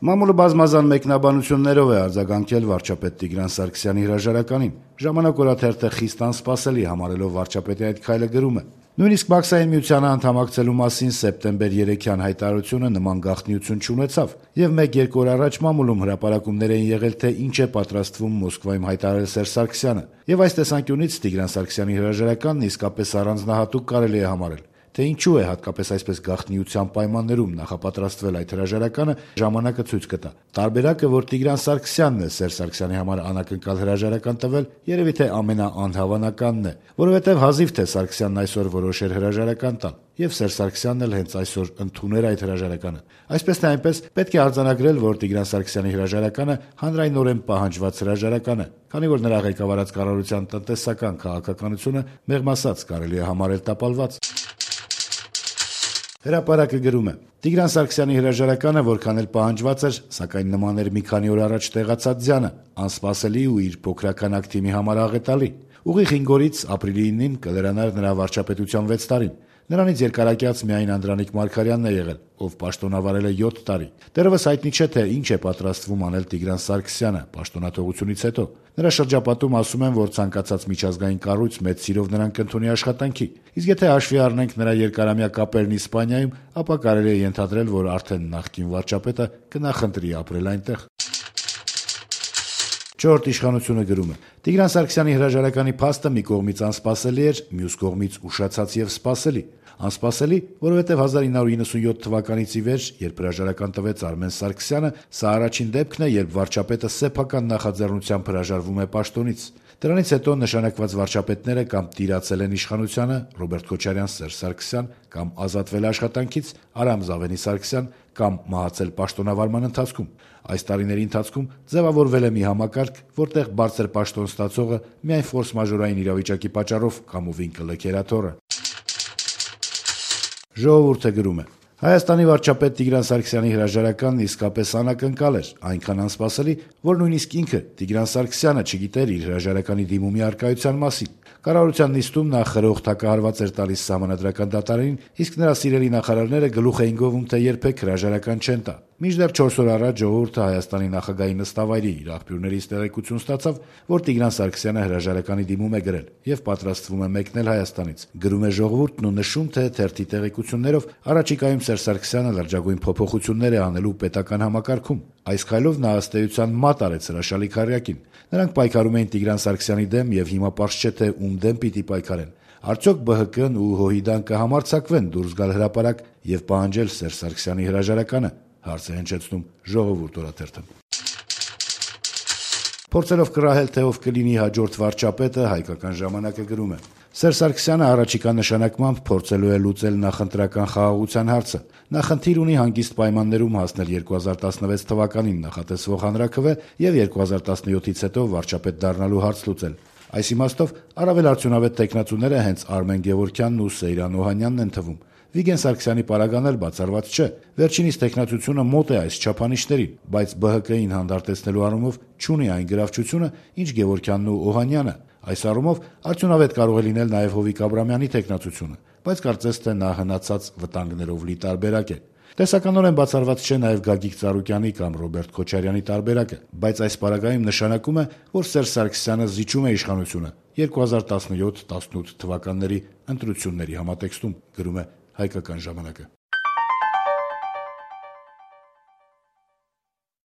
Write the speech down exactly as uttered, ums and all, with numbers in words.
Մամուլը բազմազան մեկնաբանություններով է արձագանքել վարչապետ Տիգրան Սարգսյանի հրաժարականին։ «Ժամանակ» օրաթերթը խիստ անսպասելի համարելով վարչապետի այդ քայլը գրում է. «Նույնիսկ Բաքսային միությանը անդամակցելու մասին սեպտեմբեր երեքյան հայտարարությունը նման գաղտնիություն չունեցավ, եւ մեկ-երկու օր առաջ մամուլում հրապարակումներ էին եղել, թե ինչ է պատրաստվում Մոսկվայում հայտարարել Սերժ Սարգսյանը, եւ այս տեսանկյունից Տիգրան Սարգսյանի հրաժարականն իսկապես առանձնահատուկ կարելի է համարել։ Թե ինչու է հատկապես այսպես գաղտնիության պայմաններում նախապատրաստվել այդ հրաժարականը, ժամանակը ցույց կտա։ Տարբերակը, որ Տիգրան Սարգսյանն է Սերժ Սարգսյանի համար անակնկալ հրաժարական տվել, երևի թե ամենաանհավանականն է, որովհետև հազիվ թե Սարգսյանն այսօր որոշեր հրաժարական տալ, եւ Սերժ Սարգսյանն էլ հենց այսօր ընդուներ այդ հրաժարականը։ Այսպես թե այնպես պետք է արձանագրել, որ Տիգրան Սարգսյանի հրաժարականը հանրայնորեն պահանջված հրաժարական է, քանի որ նրա ղեկավարած կառավարության տնտեսական քաղաքականությունը մեղմ ասած կարելի է համարել տապալված»։ Հրապարակը գրում է. «Տիգրան Սարգսյանի հրաժարականը որքան էլ պահանջված էր, սակայն նման էր մի քանի օր առաջ տեղացած ձյանը, անսպասելի ու իր փոքրական ակտիմի համար աղետալի։ Ուղիղ հինգ օրից ապրիլի իննին կլրանար նրա վարչապետության վեց տարին։ Նրանից երկարակյաց միայն Անդրանիկ Մարգարյանն է եղել, ով պաշտոնավարել է յոթ տարի։ Դեռևս հայտնի չէ, թե ինչ է պատրաստվում անել Տիգրան Սարգսյանը պաշտոնաթողությունից հետո։ Նրա շրջապատում ասում են, որ ցանկացած միջազգային կառույց մեծ սիրով նրան կընդունի աշխատանքի։ Իսկ եթե հաշվի առնենք նրա երկարամյա կապերն Իսպանիայում, ապա կարելի է ենթադրել, որ արդեն նախկին վարչապետը կնախընտրի ապրել այնտեղ»։ «Չորրորդ իշխանությունը» գրում է. «Տիգրան Սարգսյանի հրաժարականի փաստը մի կողմից անսպասելի էր, մյուս կողմից ուշացած եւ սպասելի։ Անսպասելի, որովհետեւ հազար ինը հարյուր իննսունյոթ թվականից ի վեր, երբ հրաժարական տվեց Արմեն Սարգսյանը, սա առաջին դեպքն է, երբ վարչապետը սեփական նախաձեռնությամբ հրաժարվում է պաշտոնից։ Դրանից հետո նշանակված վարչապետները կամ տիրացել են իշխանությանը՝ Ռոբերտ Քոչարյան, Սերժ Սարգսյան, կամ ազատվել աշխատանքից՝ Արամ Զավենի Սարգսյան, կամ մահացել պաշտոնավարման ընթացքում։ Այս տարիների ընթացքում ձևավորվել է մի համակարգ, որտեղ բարձր պաշտոն ստացողը միայն ֆորս-մաժորային իրավիճակի պատճառով կամովին կլքեր աթոռը»։ «Ժողովուրդ»-ը գրում է. «Հայաստանի վարչապետ Տիգրան Սարգսյանի հրաժարականն իսկապես անակնկալ էր, այնքան անսպասելի, որ նույնիսկ ինքը Տիգրան Սարգսյանը չգիտեր իր հրաժարականի դիմումի առկայության մասին։ Կառավարության նիստում նա խրոխտ հակահարված էր տալիս Սահմանադրական դատարանին, իսկ նրա սիրելի նախարարները գլուխ էին գովում, թե երբեք հրաժարական չեն տա։ Մինչդեռ չորս օր առաջ «Ժողովուրդ»-ը Հայաստանի նախագահի նստավայրի իր աղբյուրներից տեղեկություն ստացավ, որ Տիգրան Սարգսյանը հրաժարականի դիմում է գրել եւ պատրաստվում է մեկնել Հայաստանից։ Գրում է «Ժողովուրդ»-ն ու նշում, թե թերթի տեղեկություններով առաջիկայում Սերժ Սարգսյանը լրջագույն փոփոխություններ է անելու պետական համակարգում։ Այս քայլով նա ըստ էության մատ արեց հրաշալի քառյակին։ Նրանք պայքարում էին Տիգրան Սարգսյանի դեմ եւ հիմա պարզ չէ, թե ում դեմ պիտի պայքարեն։ Արդյոք Բ Հ Կ-ն ու Հոհիդան կհամարձակվեն դուրս գալ հրապարակ եւ պահանջել Սերժ Սարգսյանի հրաժարականը, հարց է հնչեցնում «Ժողովուրդ» օրաթերթը։ Փորձելով կռահել, թե ով կլինի հաջորդ վարչապետը, «Հայկական ժամանակ»-ը գրում է. «Սերժ Սարգսյանը առաջիկա նշանակմամբ փորձելու է լուծել նախընտրական խաղաղության հարցը։ Նա խնդիր ունի հանգիստ պայմաններում հասնել երկու հազար տասնվեց թվականին նախատեսվող հանրաքվե եւ երկու հազար տասնյոթից հետո վարչապետ դառնալու հարց լուծել։ Այս իմաստով առավել արդյունավետ տեխնացուները հենց Արմեն Գևորգյանն ու Սեյրան Օհանյանն են թվում։ Վիգեն Սարգսյանի պարագան էլ բացառված չէ։ Վերջինիս տեխնացությունը մոտ է այս չափանիշներին, բայց Բ Հ Կ-ին հանդարտեցնելու առումով չունի այն գրավչությունը, ինչ Գևորգյանն ու Օհանյանը։ Այս առումով արդյունավետ կարող է լինել նաև Հովիկ Աբրամյանի տեխնացությունը, բայց կարծես թե նա հնացած վտանգներով լի տարբերակ է։ Տեսականորեն բացառված չէ նաև Գագիկ Ծառուկյանի կամ Ռոբերտ Քոչարյանի տարբերակը, բայց այս պարագայում նշանակում է, որ Սերժ Սարգսյանը զիջում է իշխանությունը երկու հազար տասնյոթ տասնութ թվականների ընտրությունների համատեքստում», գրում է «Հայկական ժամանակ»-ը։